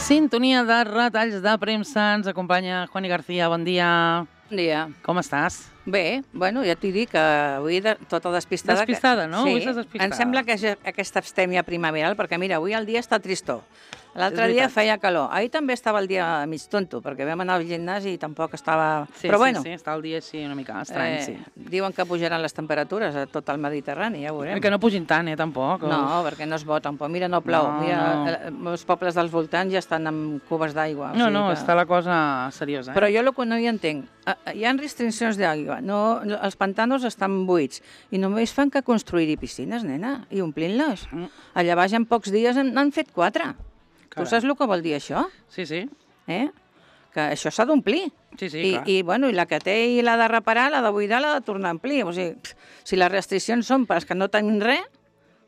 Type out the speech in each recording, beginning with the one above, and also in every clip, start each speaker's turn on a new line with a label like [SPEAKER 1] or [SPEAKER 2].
[SPEAKER 1] Sintonia de retalls de premsa. Ens acompanya Juani García. Bon dia.
[SPEAKER 2] Bon dia.
[SPEAKER 1] Com estàs?
[SPEAKER 2] Bé, bueno, ja t'he dit que avui tota despistada...
[SPEAKER 1] Despistada, no?
[SPEAKER 2] Sí,
[SPEAKER 1] Avui estàs despistada.
[SPEAKER 2] em sembla que és aquesta abstèmia primaveral, perquè mira, avui el dia està tristó. L'altre dia feia calor. Ahir també estava el dia mig tonto, perquè vam anar al gimnàs i tampoc estava...
[SPEAKER 1] Sí,
[SPEAKER 2] Però bueno,
[SPEAKER 1] sí, està el dia així una mica estrany, sí.
[SPEAKER 2] diuen que pujaran les temperatures a tot el Mediterrani, ja ho veurem.
[SPEAKER 1] Que no pugin tant, tampoc.
[SPEAKER 2] No, perquè no es vot tampoc. Mira, no plou.
[SPEAKER 1] No,
[SPEAKER 2] Mira, els pobles dels voltants ja estan amb cubes d'aigua.
[SPEAKER 1] No, està la cosa seriosa.
[SPEAKER 2] Però jo el que no hi entenc, hi ha restriccions d'aigua, els pantanos estan buits i només fan que construir-hi piscines, nena, i omplint-les. Allà baix en pocs dies n'han fet 4. Tu saps el que vol dir això?
[SPEAKER 1] Sí, sí.
[SPEAKER 2] Que això s'ha d'omplir.
[SPEAKER 1] Sí, sí, clar.
[SPEAKER 2] I la que té i l'ha de reparar, l'ha de buidar, l'ha de tornar a omplir. O sigui, si les restriccions són per als que no tenen res,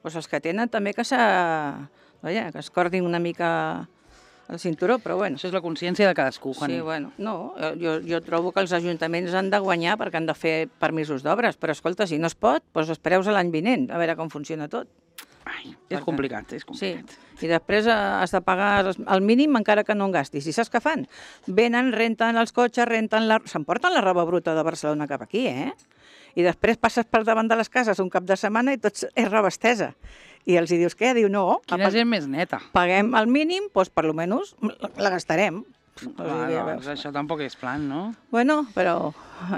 [SPEAKER 2] doncs els que tenen també que es cordin una mica el cinturó, però bueno.
[SPEAKER 1] Això és la consciència de cadascú, Juani.
[SPEAKER 2] Sí, bueno, no, jo trobo que els ajuntaments han de guanyar perquè han de fer permisos d'obres, però escolta, si no es pot, doncs espereu a l'any vinent, a veure com funciona tot.
[SPEAKER 1] Ai, és complicat, és complicat.
[SPEAKER 2] Sí, i després has de pagar el mínim encara que no en gastis. I saps què fan? Venen, renten els cotxes, s'emporten la roba bruta de Barcelona cap aquí, I després passes per davant de les cases un cap de setmana i tot és roba estesa. I els dius què? Diu, no.
[SPEAKER 1] Quina gent més neta.
[SPEAKER 2] Paguem el mínim, doncs per almenys la gastarem.
[SPEAKER 1] Doncs això tampoc és plan, no?
[SPEAKER 2] Bueno, però...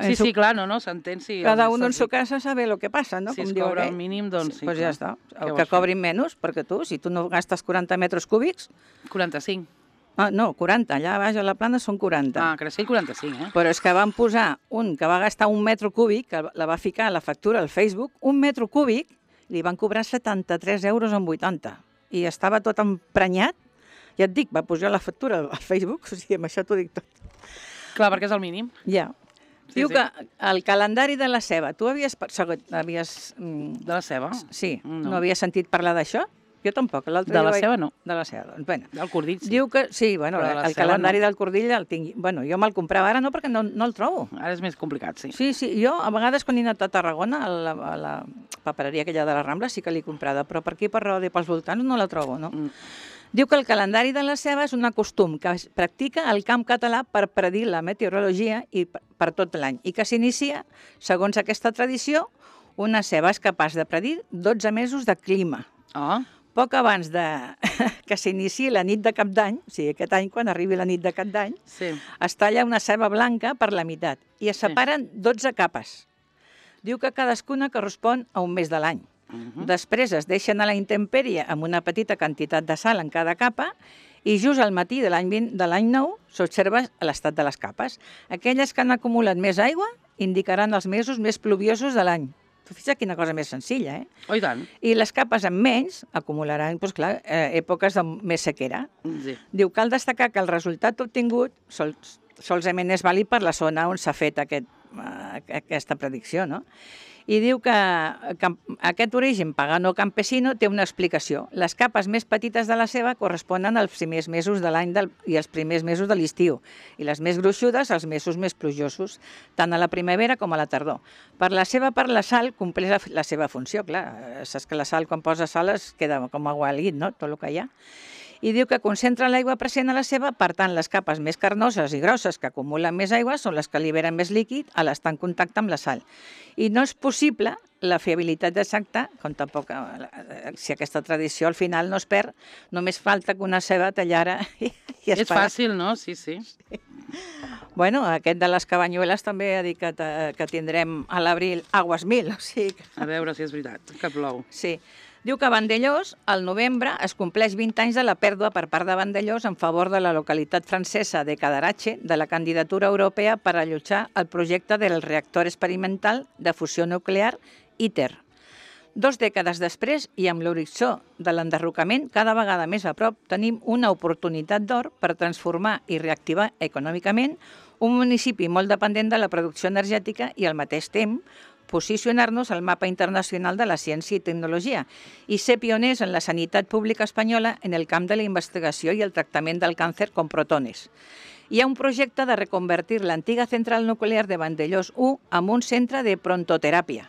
[SPEAKER 1] Sí, clar, no, s'entén.
[SPEAKER 2] Cada un en su casa sabe lo que passa, no?
[SPEAKER 1] Si es cobra el mínim, doncs sí.
[SPEAKER 2] Doncs ja està. Que cobrin menys, perquè si tu no gastes 40 metres cúbics...
[SPEAKER 1] 45.
[SPEAKER 2] No, 40, allà baix a la plana són 40.
[SPEAKER 1] Ah, Creixell 45,
[SPEAKER 2] Però és que van posar un que va gastar 1 metre cúbic, que la va ficar a la factura al Facebook, 1 metre cúbic, li van cobrar 73 euros en 80. I estava tot emprenyat. Ja et dic, va pujar la factura al Facebook, o sigui, amb això t'ho dic tot.
[SPEAKER 1] Clar, perquè és el mínim.
[SPEAKER 2] Ja. Diu que el calendari de la ceba, tu havies...
[SPEAKER 1] De la ceba?
[SPEAKER 2] Sí, no havies sentit parlar d'això? Jo tampoc.
[SPEAKER 1] De la ceba no.
[SPEAKER 2] De la ceba, doncs, bueno.
[SPEAKER 1] Del cordill, sí.
[SPEAKER 2] Diu que, sí, bueno, el calendari del cordill el tinc... Bueno, jo me'l comprava ara no, perquè no el trobo.
[SPEAKER 1] Ara és més complicat, sí.
[SPEAKER 2] Sí, jo a vegades quan he anat a Tarragona, a la papereria aquella de la Rambla, sí que l'he comprada, però per aquí, per Roda i pels voltants, no la trobo, no? Diu que el calendari de la ceba és un costum que es practica al camp català per predir la meteorologia i per tot l'any i que s'inicia, segons aquesta tradició, una ceba és capaç de predir 12 mesos de clima. Poc abans que s'iniciï la nit de Cap d'Any, o sigui, aquest any, quan arribi la nit de Cap d'Any, es talla una ceba blanca per la meitat i es separen 12 capes. Diu que cadascuna correspon a un mes de l'any. Després es deixen a la intempèrie amb una petita quantitat de sal en cada capa i just al matí de l'any nou s'observa l'estat de les capes. Aquelles que han acumulat més aigua indicaran els mesos més pluviosos de l'any. Tu fixa't quina cosa més senzilla,
[SPEAKER 1] Oh, i tant.
[SPEAKER 2] I les capes amb menys acumularan, doncs clar, èpoques de més sequera. Diu, cal destacar que el resultat obtingut solament és vàlid per la zona on s'ha fet aquesta predicció, no? I diu que aquest origen pagano campesino té una explicació. Les capes més petites de la ceba corresponen als primers mesos de l'any i als primers mesos de l'estiu, i les més gruixudes als mesos més plujosos, tant a la primavera com a la tardor. Per la sal compleix la seva funció, clar. Saps que la sal, quan posa sal, es queda com aigua al llit, no?, tot el que hi ha. I diu que concentra l'aigua present a la ceba, per tant, les capes més carnoses i grosses que acumulen més aigua són les que liberen més líquid a l'estar en contacte amb la sal. I no és possible la fiabilitat exacta, com tampoc, si aquesta tradició al final no es perd, només falta que una ceba tallara i es
[SPEAKER 1] És fàcil, no? Sí.
[SPEAKER 2] Bueno, aquest de les cabanyueles també ha dit que tindrem a l'abril aguas mil, o sigui...
[SPEAKER 1] A veure si és veritat, que plou.
[SPEAKER 2] Sí. Diu que a Vandellós, al novembre, es compleix 20 anys de la pèrdua per part de Vandellós en favor de la localitat francesa de Cadarache de la candidatura europea per allotjar el projecte del reactor experimental de fusió nuclear ITER. 2 dècades després, i amb l'horitzó de l'enderrocament cada vegada més a prop, tenim una oportunitat d'or per transformar i reactivar econòmicament un municipi molt dependent de la producció energètica i al mateix temps posicionar-nos al mapa internacional de la ciència i tecnologia i ser pioners en la sanitat pública espanyola en el camp de la investigació i el tractament del càncer con protones. Hi ha un projecte de reconvertir l'antiga central nuclear de Vandellós 1 en un centre de prontoteràpia.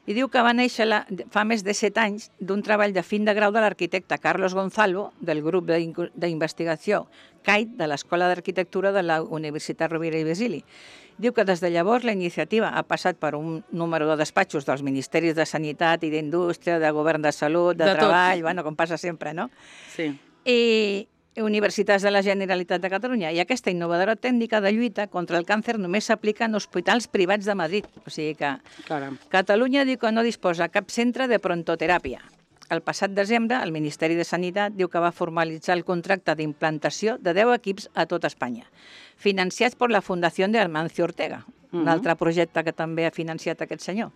[SPEAKER 2] I diu que va néixer fa més de 7 anys d'un treball de fin de grau de l'arquitecte Carlos Gonzalo, del grup d'investigació CAIT de l'Escola d'Arquitectura de la Universitat Rovira i Virgili. Diu que des de llavors la iniciativa ha passat per un número de despatxos dels Ministeris de Sanitat i d'Indústria, de Govern de Salut, de Treball, bueno, com passa sempre, no?
[SPEAKER 1] Sí.
[SPEAKER 2] I universitats de la Generalitat de Catalunya. I aquesta innovadora tècnica de lluita contra el càncer només s'aplica en hospitals privats de Madrid. O sigui que Catalunya diu que no disposa cap centre de prontoteràpia. El passat desembre, el Ministeri de Sanitat diu que va formalitzar el contracte d'implantació de 10 equips a tot Espanya, financiats per la Fundació de Amancio Ortega, un altre projecte que també ha financiat aquest senyor.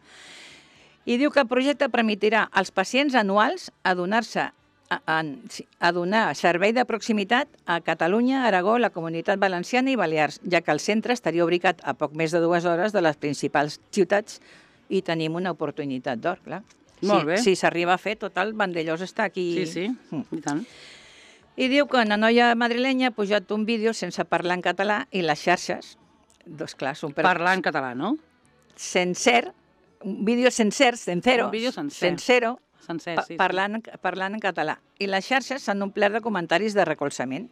[SPEAKER 2] I diu que el projecte permetirà als pacients anuals a donar servei de proximitat a Catalunya, Aragó, la Comunitat Valenciana i Balears, ja que el centre estaria ubicat a poc més de 2 hores de les principals ciutats i tenim una oportunitat d'or, clar.
[SPEAKER 1] Molt bé.
[SPEAKER 2] Si s'arriba a fer, total, Vandellós està aquí.
[SPEAKER 1] Sí, i tant.
[SPEAKER 2] I diu que una noia madrilenya ha pujat un vídeo sense parlar en català i les xarxes, doncs clar, són...
[SPEAKER 1] Parlar en català, no?
[SPEAKER 2] Sencer, un vídeo sencer, sencero,
[SPEAKER 1] un vídeo sencer.
[SPEAKER 2] Sencero,
[SPEAKER 1] sencer, sí.
[SPEAKER 2] Parlant en català. I les xarxes s'han omplert de comentaris de recolzament.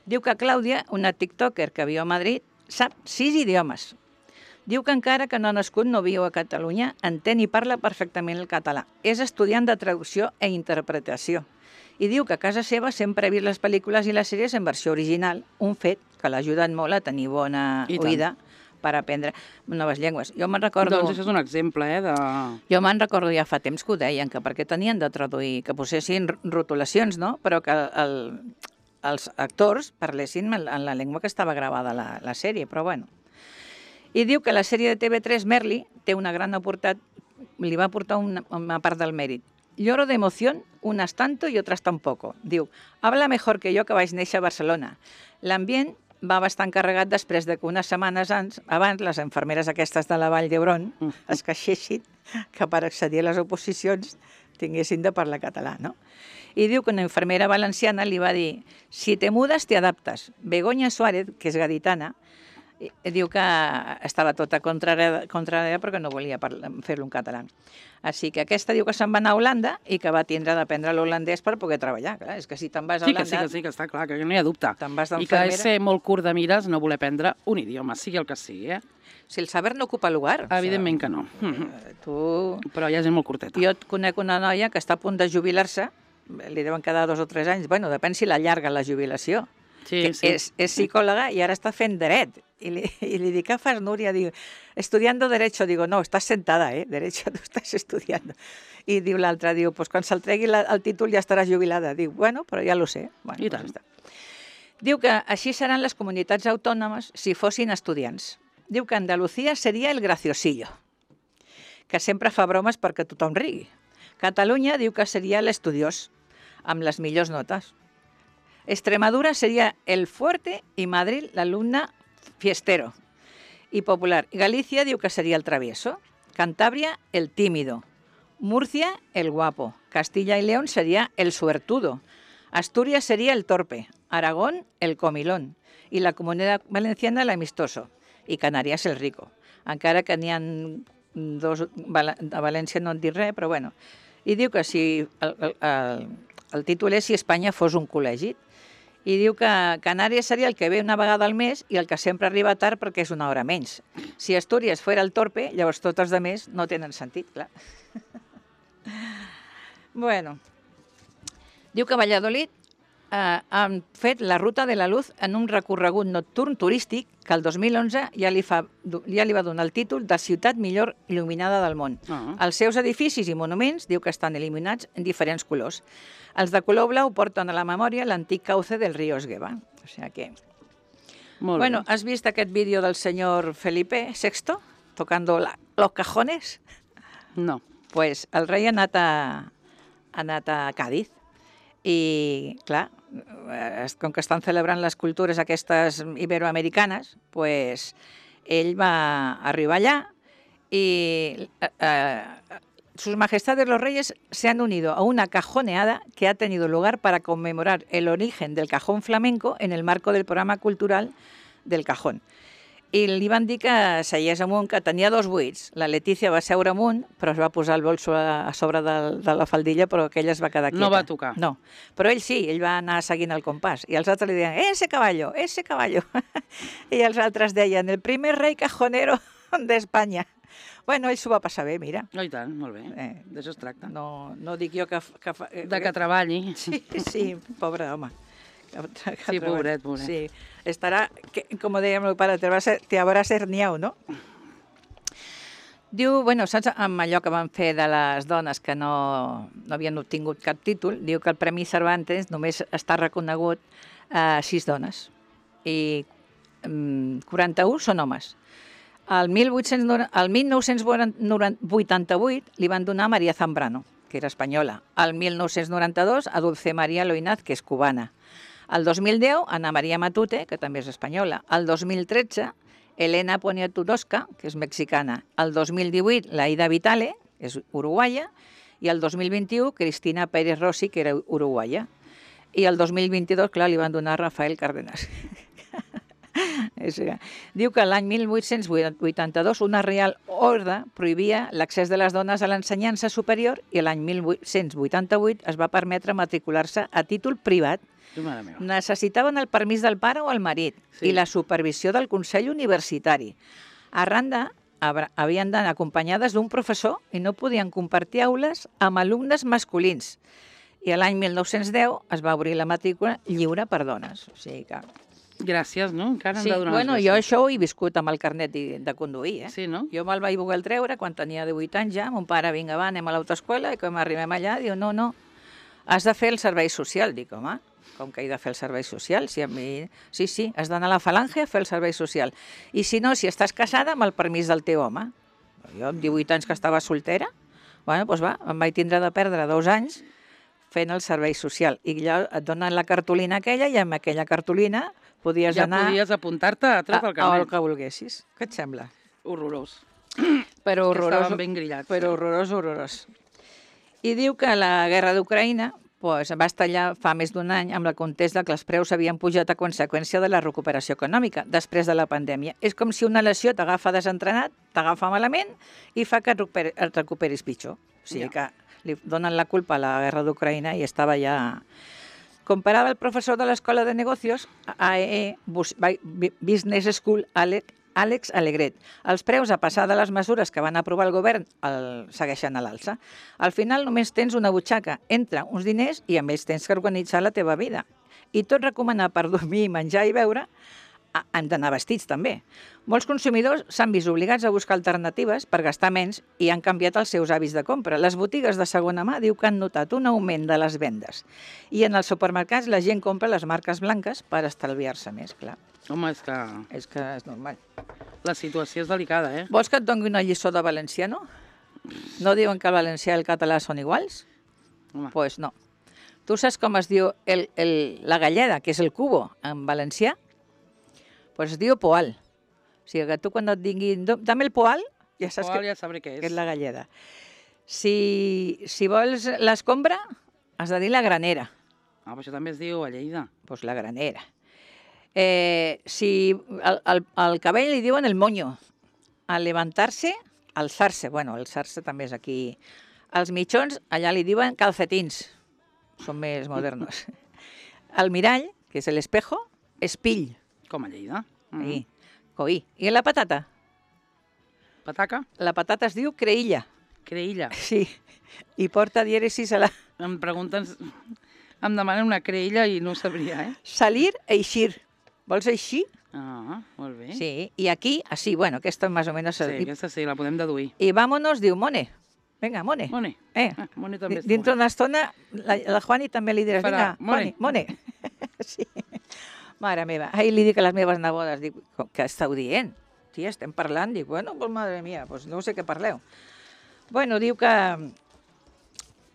[SPEAKER 2] Diu que Clàudia, una tiktoker que viu a Madrid, sap 6 idiomes. Diu que encara que no ha nascut, no viu a Catalunya, entén i parla perfectament el català. És estudiant de traducció i interpretació. I diu que a casa seva sempre ha vist les pel·lícules i les sèries en versió original, un fet que l'ha ajudat molt a tenir bona oïda per aprendre noves llengües. Jo me'n recordo...
[SPEAKER 1] Doncs això és un exemple, de...
[SPEAKER 2] Jo me'n recordo ja fa temps que ho deien, que perquè tenien de traduir, que posessin rotulacions, no? Però que els actors parlessin en la llengua que estava gravada la sèrie, però bueno. I diu que la sèrie de TV3 Merli té una gran oportunitat, li va portar una part del mèrit. Lloro de emoción, unas tanto y otras tampoco. Diu, habla mejor que yo que vaig néixer a Barcelona. L'ambient va bastant carregat després de que unes setmanes abans les infermeres aquestes de la Vall d'Hebron es queixessin que per accedir a les oposicions tinguessin de parlar català, no? I diu que una infermera valenciana li va dir si te mudes te adaptes. Begoña Suárez, que és gaditana, diu que estava tota contrària perquè no volia fer-lo en català. Així que aquesta diu que se'n va anar a Holanda i que va tindre d'aprendre l'holandès per poder treballar. Clar, és que si te'n vas a Holanda...
[SPEAKER 1] Sí, que està clar, que no hi ha dubte.
[SPEAKER 2] I
[SPEAKER 1] que és ser molt curt de mires no voler aprendre un idioma, sigui el que sigui,
[SPEAKER 2] Si el saber no ocupa lugar.
[SPEAKER 1] Evidentment que no. Però hi ha gent molt curteta.
[SPEAKER 2] Jo conec una noia que està a punt de jubilar-se, li deuen quedar 2 o 3 anys, bueno, depèn si l'allarga la jubilació. És psicòloga i ara està fent dret. I li dic, què fas, Núria? Diu, estudiando derecho. Digo, no, estás sentada, derecho, tú estás estudiando. I diu l'altra, diu, pues quan se'l tregui el títol ja estaràs jubilada. Diu, bueno, però ja lo sé. Bueno,
[SPEAKER 1] I tant.
[SPEAKER 2] Diu que així seran les comunitats autònomes si fossin estudiants. Diu que Andalucía seria el graciosillo, que sempre fa bromes perquè tothom rigui. Catalunya diu que seria l'estudiós, amb les millors notes. Extremadura sería el fuerte y Madrid l'alumne fiestero y popular. Galicia diu que sería el travieso. Cantabria, el tímido. Murcia, el guapo. Castilla y León sería el suertudo. Asturias sería el torpe. Aragón, el comilón. Y la Comunitat Valenciana, el amistoso. I Canàries, el rico. Encara que n'hi ha 2... A València no en dic res, però bueno. I diu que si... El títol és si Espanya fos un col·legi. I diu que Canàries seria el que ve una vegada al mes i el que sempre arriba tard perquè és una hora menys. Si Astúries fos el torpe, llavors tots els altres no tenen sentit, clar. Bueno. Diu que Valladolid han fet la Ruta de la Luz en un recorregut nocturn turístic que el 2011 ja li va donar el títol de ciutat millor il·luminada del món. Els seus edificis i monuments diu que estan il·luminats en diferents colors. Els de color blau porten a la memòria l'antic cauce del riu Esgueva. O sigui que... Bueno, has vist aquest vídeo del senyor Felipe VI tocando los cajones?
[SPEAKER 1] No.
[SPEAKER 2] Pues el rei ha anat a Càdiz i, clar, com que estan celebrant les cultures aquestes iberoamericanes, pues ell va arribar allà y sus majestades los reyes se han unido a una cajoneada que ha tenido lugar para conmemorar el origen del cajón flamenco en el marco del programa cultural del cajón. i li van dir que seiés amunt, que tenia 2 buits. La Letícia va seure amunt, però es va posar el bolso a sobre de la faldilla, però aquella es va quedar quieta.
[SPEAKER 1] No va tocar.
[SPEAKER 2] No, però ell sí, ell va anar seguint el compàs. I els altres li deien, ese caballo, ese caballo. I els altres deien, el primer rei cajonero d'Espanya. Bueno, ell s'ho va passar bé, mira.
[SPEAKER 1] Oh, i tant, molt bé. D'això es tracta.
[SPEAKER 2] No dic jo que...
[SPEAKER 1] De que treballi.
[SPEAKER 2] Sí, pobre home.
[SPEAKER 1] Sí, pobret.
[SPEAKER 2] Sí, estarà, com deia el meu pare, te habrás herniau, no? Diu, bueno, saps, amb allò que van fer de les dones que no havien obtingut cap títol, diu que el Premi Cervantes només està reconegut a 6 dones i 41 són homes. El 1988 li van donar a María Zambrano, que era espanyola. El 1992 a Dulce María Loinaz, que és cubana. El 2010, Ana María Matute, que també és espanyola. El 2013, Elena Poniatowska, que és mexicana. El 2018, la Ida Vitale, que és uruguaia. I el 2021, Cristina Pérez Rossi, que era uruguaia. I el 2022, clar, li van donar a Rafael Cárdenas. Diu que l'any 1882 una reial ordre prohibia l'accés de les dones a l'ensenyança superior i l'any 1888 es va permetre matricular-se a títol privat. Necessitaven el permís del pare o el marit i la supervisió del Consell Universitari. A Randa havien d'anar acompanyades d'un professor i no podien compartir aules amb alumnes masculins. I l'any 1910 es va obrir la matrícula lliure per dones. O sigui que...
[SPEAKER 1] Gràcies, no? Encara hem de donar
[SPEAKER 2] bueno, jo això ho he viscut amb el carnet de conduir,
[SPEAKER 1] Sí, no?
[SPEAKER 2] Jo me'l vaig voler treure quan tenia 18 anys ja, mon pare, vinga, va, anem a l'autoescola, i quan arribem allà, diu, no, has de fer el servei social. Dic, home, com que he de fer el servei social? Si a mi... Sí, has d'anar a la falange a fer el servei social. I si no, si estàs casada, amb el permís del teu home. Jo, amb 18 anys que estava soltera, bueno, doncs va, em vaig tindre de perdre 2 anys fent el servei social. I allò et donen la cartolina aquella i amb aquella cartolina podies anar...
[SPEAKER 1] Ja podies apuntar-te a tot el carnet.
[SPEAKER 2] El que volguessis. Què et sembla?
[SPEAKER 1] Horrorós.
[SPEAKER 2] Però horrorós.
[SPEAKER 1] Estaven ben grillats.
[SPEAKER 2] Però horrorós. I diu que la guerra d'Ucraïna va estallar fa més d'un any amb la contesta que els preus havien pujat a conseqüència de la recuperació econòmica després de la pandèmia. És com si una lesió t'agafa desentrenat, t'agafa malament i fa que et recuperis pitjor. O sigui que li donen la culpa a la guerra d'Ucraïna i estava ja... Comparava el professor de l'Escola de Negocios, AEE Business School, Àlex Alegret. Els preus, a passar de les mesures que van aprovar el govern, segueixen a l'alça. Al final només tens una butxaca, entra uns diners i a més tens que organitzar la teva vida. I tot recomanat per dormir, menjar i beure, han d'anar vestits també. Molts consumidors s'han vist obligats a buscar alternatives per gastar menys i han canviat els seus hàbits de compra. Les botigues de segona mà diu que han notat un augment de les vendes i en els supermercats la gent compra les marques blanques per estalviar-se més, clar.
[SPEAKER 1] Home, és que...
[SPEAKER 2] És que és normal.
[SPEAKER 1] La situació és delicada,
[SPEAKER 2] Vols que et doni una lliçó de valenciano? No diuen que el valencià i el català són iguals? Doncs pues no. Tu saps com es diu la galleda, que és el cubo, en valencià? Pues es diu poal. O sigui que tu quan et diguin, dame el poal, ja saps
[SPEAKER 1] ja sabré què és.
[SPEAKER 2] Que és la galleda. Si vols l'escombra, has de dir la granera.
[SPEAKER 1] Ah, però això també es diu a Lleida.
[SPEAKER 2] Pues la granera. Si al cabell li diuen el moño. Al levantar-se, alçar-se. Bueno, alçar-se també és aquí. Els mitjons, allà li diuen calcetins. Són més modernos. El mirall, que és l'espejo, espill.
[SPEAKER 1] Com a Lleida.
[SPEAKER 2] Coí. I la patata?
[SPEAKER 1] Pataca?
[SPEAKER 2] La patata es diu creïlla.
[SPEAKER 1] Creïlla?
[SPEAKER 2] Sí. I porta dièresis a la...
[SPEAKER 1] Em pregunten... Em demanen una creïlla i no ho sabria,
[SPEAKER 2] Salir, eixir. Vols eixir?
[SPEAKER 1] Ah, molt bé.
[SPEAKER 2] Sí. I aquí, així, bueno, aquesta més o menys...
[SPEAKER 1] Sí, aquesta sí, la podem deduir.
[SPEAKER 2] I vámonos diu mone. Vinga, mone.
[SPEAKER 1] Mone. Mone també
[SPEAKER 2] dintre d'una estona, la Juani també li diràs, vinga, mone. Sí. Mare meva, ahir li dic a les meves nebodes, dic, què esteu dient? Tia, estem parlant? Dic, bueno, pues madre mía, pues no sé què parleu. Bueno, diu que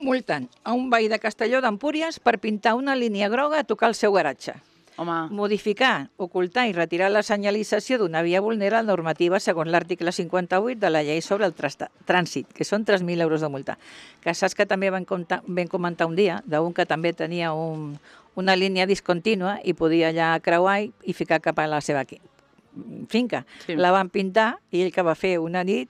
[SPEAKER 2] multen a un veí de Castelló d'Empúries per pintar una línia groga a tocar el seu garatge.
[SPEAKER 1] Home.
[SPEAKER 2] Modificar, ocultar i retirar la senyalització d'una via vulnera la normativa segons l'article 58 de la llei sobre el trànsit, que són 3.000 euros de multa. Que saps que també vam comentar un dia d'un que també tenia una línia discontínua i podia allà creuar i ficar cap a la seva finca.
[SPEAKER 1] Sí.
[SPEAKER 2] La van pintar i ell que va fer una nit,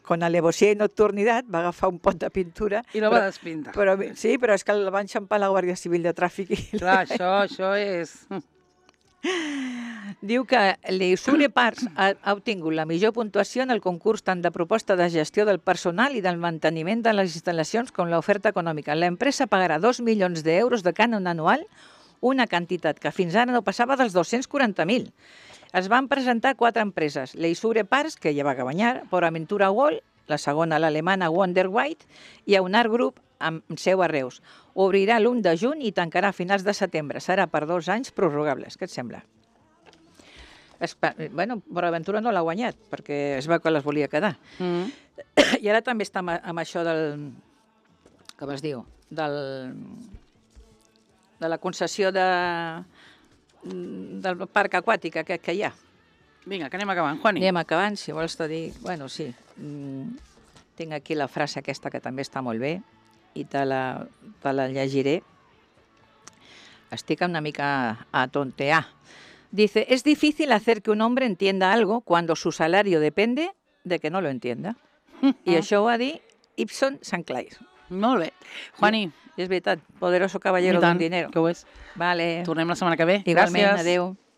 [SPEAKER 2] con alevosía i nocturnitat, va agafar un pot de pintura.
[SPEAKER 1] I la va despintar.
[SPEAKER 2] Sí, però és que el va enxampar la Guàrdia Civil de Tràfic.
[SPEAKER 1] Clar, això és...
[SPEAKER 2] Diu que l'Eisure Parks ha obtingut la millor puntuació en el concurs tant de proposta de gestió del personal i del manteniment de les instal·lacions com l'oferta econòmica. L'empresa pagarà 2 milions d'euros de cànon anual, una quantitat que fins ara no passava dels 240.000. Es van presentar 4 empreses, l'Eisure Parks, que ja va guanyar, PortAventura World, la segona l'alemana Wonder White, i Aunar Group, amb seu a Reus. Obrirà l'1 de juny i tancarà a finals de setembre. Serà per 2 anys prorrogables. Què et sembla? Bueno, PortAventura no l'ha guanyat, perquè es veu que les volia quedar. I ara també està amb això del... Com es diu? De la concessió del parc aquàtic aquest que hi ha.
[SPEAKER 1] Vinga, que anem acabant, Juani.
[SPEAKER 2] Anem acabant, si vols te dir... Bueno, sí. Tinc aquí la frase aquesta que també està molt bé i te la llegiré. Estic una mica a tontear. Dice, es difícil hacer que un hombre entienda algo cuando su salario depende de que no lo entienda. I això ho va dir Ibsen Sanclair.
[SPEAKER 1] Molt bé. Juani.
[SPEAKER 2] I és veritat, poderoso caballero d'un dinero.
[SPEAKER 1] Que ho és.
[SPEAKER 2] Vale.
[SPEAKER 1] Tornem la setmana que ve.
[SPEAKER 2] Igualment,
[SPEAKER 1] Gràcies.
[SPEAKER 2] adeu.